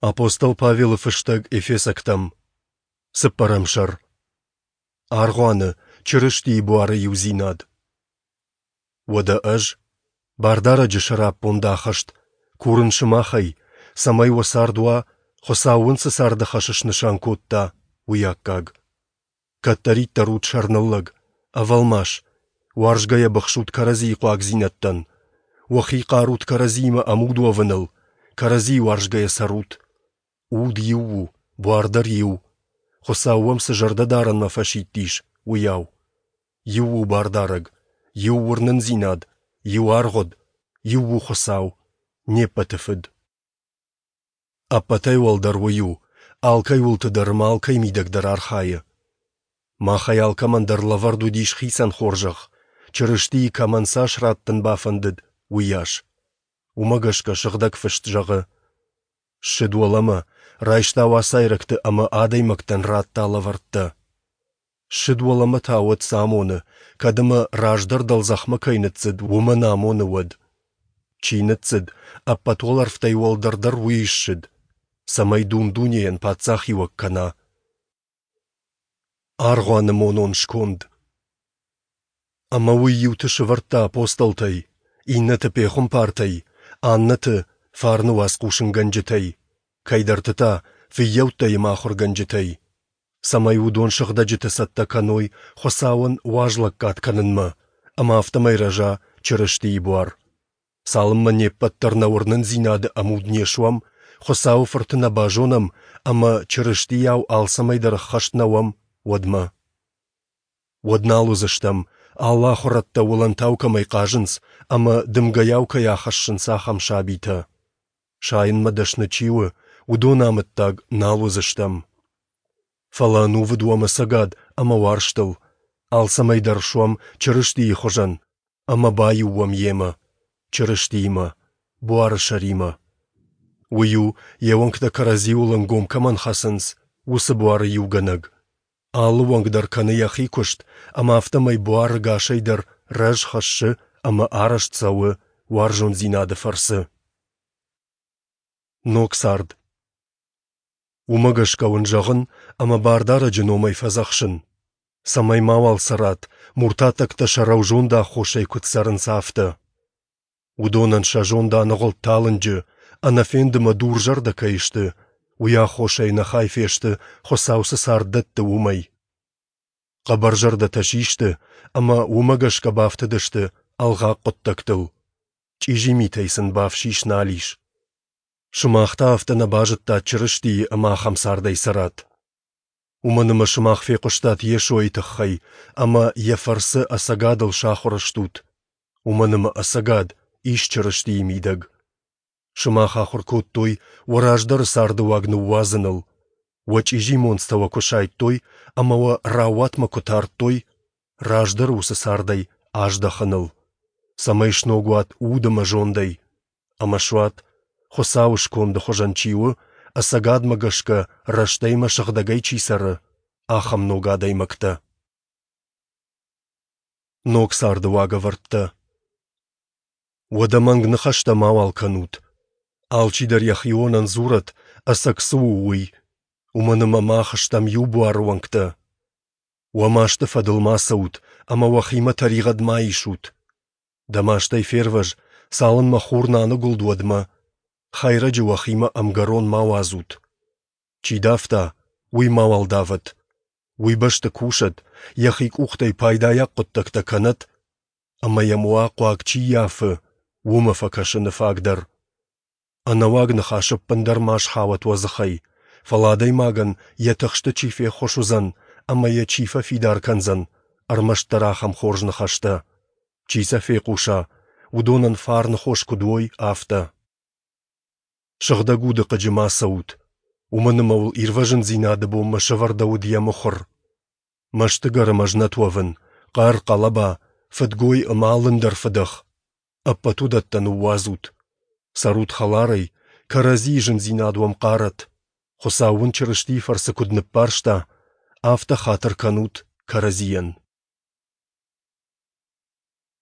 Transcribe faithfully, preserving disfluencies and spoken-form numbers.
Апостол Павелы фыстӕг Ефесӕгтӕм, цыппӕрӕм сӕр. Аргъуаны, Чырыстийы буары иудзинад. Уӕдӕ ӕз, Бардарӕджы сӕраппонд ахӕст, курын сымахӕй, цӕмӕй уӕ цард уа, Хуыцау уын цы царды хӕс снысан кодта, уый аккаг. Кӕддӕриддӕр ут сӕрныллӕг, ӕвӕлмас, уарзгӕйӕ быхсут кӕрӕдзийы хъуагдзинӕдтӕн, уӕхи хъарут кӕрӕдзиимӕ ӕмуд уӕвыныл, кӕрӕдзийы уарзгӕйӕ цӕрут. Уд иу у, буар дӕр иу, Хуыцау уӕм цы зӕрдӕдарӕнмӕ фӕсидтис, уыйау. Иу у Бардарӕг, иу уырнындзинад, иу аргъуыд, иу у Хуыцау, не ппӕты Фыд. Ӕппӕтӕй уӕлдӕр уый у, алкӕй уылты дӕр ӕмӕ алкӕй мидӕг дӕр архайы. Махӕй алкӕмӕн дӕр лӕвӕрд уыдис хицӕн хорзӕх, Чырыстийы кӕмӕн цас раттын бафӕндыд, уыйас. Уымӕ гӕсгӕ Сыгъдӕг Фыст зӕгъы: Ссыд уӕлӕмӕ, райста уацайрӕгты ӕмӕ адӕймӕгтӕн радта лӕвӕрттӕ. Ссыд уӕлӕмӕ та уӕд цы амоны, кӕд ӕмӕ раздӕр дӕлдзӕхмӕ кӕй ныццыд, уымӕ нӕ амоны уӕд? Чи ныццыд, ӕппӕт уӕлӕрвтӕй уӕлдӕр дӕр уый ссыд, цӕмӕй дун-дунейӕн паддзахиуӕг кӕна. Аргъуаны монон сконд. Ӕмӕ уый иуты сӕвӕрдта апостолтӕй, иннӕты пехуымпартӕй, аннӕты фарны уац хъусынгӕнджытӕй, кӕйдӕрты та фыййӕуттӕй ӕмӕ ахуыргӕнджытӕй, цӕмӕй уыдон сыгъдӕджыты цӕттӕ кӕной Хуыцауӕн уазлӕггад кӕнынмӕ, ӕмӕ афтӕмӕй рӕза Чырыстийы буар. Цалынмӕ не ппӕт дӕр нӕ уырнындзинады ӕмуд не суӕм, Хуыцауы Фырты нӕ базонӕм ӕмӕ Чырыстийау алцӕмӕй дӕр ӕххӕст нӕ уӕм, уӕдмӕ. Уӕд нал уыдзыстӕм, алы ахуырӕдтӕ уылӕнтау кӕмӕй хъазынц ӕмӕ дымгӕйау кӕй ахӕссынц, ахӕм сабитӕ. Сайынмӕ дӕсны чи у, уыдоны амӕттаг нал уыдзыстӕм. Фӕлӕ ӕнувыд уӕм ӕцӕгад ӕмӕ уарзтыл, алцӕмӕй дӕр суӕм Чырыстийы хуызӕн ӕмӕ баиу уӕм Йемӕ, Чырыстиимӕ, буары сӕримӕ. Уый у, йе уӕнгтӕ кӕрӕдзиуыл ӕнгом кӕмӕн хӕцынц, уыцы буары иугӕнӕг. Алы уӕнг дӕр кӕны йӕхи куыст, ӕмӕ афтӕмӕй буар ӕгасӕй дӕр рӕз хӕссы ӕмӕ арӕзт цӕуы уарзондзинады фӕрцы. Ног цард. Уымӕ гӕсгӕ уын зӕгъын ӕмӕ Бардарӕджы номӕй фӕдзӕхсын, цӕмӕй мауал цӕрат, муртаттӕгтӕ сӕ рӕузонды аххосӕй куыд цӕрынц, афтӕ. Уыдонӕн сӕ зонд аныгъуылд талынджы, ӕнӕфенд ӕмӕ дурзӕрдӕ кӕй сты, уый аххосӕй ӕнӕхай фесты, Хуыцау цы цард дӕтты, уымӕй. Хъӕбӕрзӕрдӕтӕ систы ӕмӕ уымӕ гӕсгӕ бафтыдысты ӕлгъаг хъуыддӕгтыл. Чъизи митӕй сын бафсис нал ис. Сымах та афтӕ нӕ базыдтат Чырыстийы ӕмӕ ахӕм цардӕй цӕрат. Уымӕн ӕмӕ сымах фехъуыстат Йесойы тыххӕй ӕмӕ йӕ фӕрцы ӕцӕгадыл сахуыр стут, уымӕн ӕмӕ ӕцӕгад ис Чырыстийы мидӕг. Сымах ахуыр кодтой уӕ раздӕры царды уаг ныууадзыныл, уӕ чъизи монцтӕ уӕ куы сайдтой ӕмӕ уӕ раууатмӕ куы тардтой, раздӕры уыцы цардӕй аздӕхыныл, цӕмӕй сног уат уд ӕмӕ зондӕй, ӕмӕ суат, Хуыцауы сконды хуызӕн чи у, ӕцӕгадмӕ гӕсгӕ рӕстӕй ӕмӕ сыгъдӕгӕй чи цӕры, ахӕм ног адӕймӕгтӕ. Ног царды уагӕвӕрдтӕ. Уӕдӕ мӕнг ныхӕстӕ мауал кӕнут. Алчидӕр йӕхионӕн дзурӕд, ӕцӕг цы у, уый, уымӕн ӕмӕ мах стӕм иу буары уӕнгтӕ. Уӕ масты фӕдыл ма цӕут ӕмӕ уӕхимӕ тӕригъӕд ма исут. Дӕ мастӕй фервӕз, цалынмӕ хур нӕ аныгуылд, уӕдмӕ. Хӕйрӕджы уӕхимӕ ӕмгӕрон ма уадзут. Чи давта, уый мауал давӕд. Уый бӕсты кусӕд, йӕхи къухтӕй пайдайаг хъуыддӕгтӕ кӕнӕд, ӕмӕ йӕм уа хъуаг чи ййафы, уымӕ фӕкӕсыны фаг дӕр. Ӕнӕуаг ныхас ӕппындӕр ма схауӕд уӕ дзыхӕй, фӕлӕ адӕймагӕн йӕ тыхсты чи феххуыс уыдзӕн ӕмӕ йӕ чи фӕфидар кӕндзӕн, ӕрмӕстдӕр ахӕм хорз ныхӕстӕ. Чи сӕ фехъуса, уыдонӕн фарны хос куыд уой, афтӕ. Сыгъдӕг уды хъыджы ма цӕут, уымӕн ӕмӕ уыл ирвӕзындзинады бонмӕ сӕвӕрдӕуыд йӕ мыхуыр. Мӕстыгӕр ӕмӕ знӕт уӕвын, хъӕр, хъӕлӕба, фыдгой ӕмӕ алындӕр фыдӕх – ӕппӕт уыдӕттӕ ныууадзут. Цӕрут хӕларӕй, кӕрӕдзийы зындзинад уӕм хъарӕд. Хуыцау уын Чырыстийы фӕрцы куыд ныббарста, афтӕ хатыр кӕнут кӕрӕдзийӕн.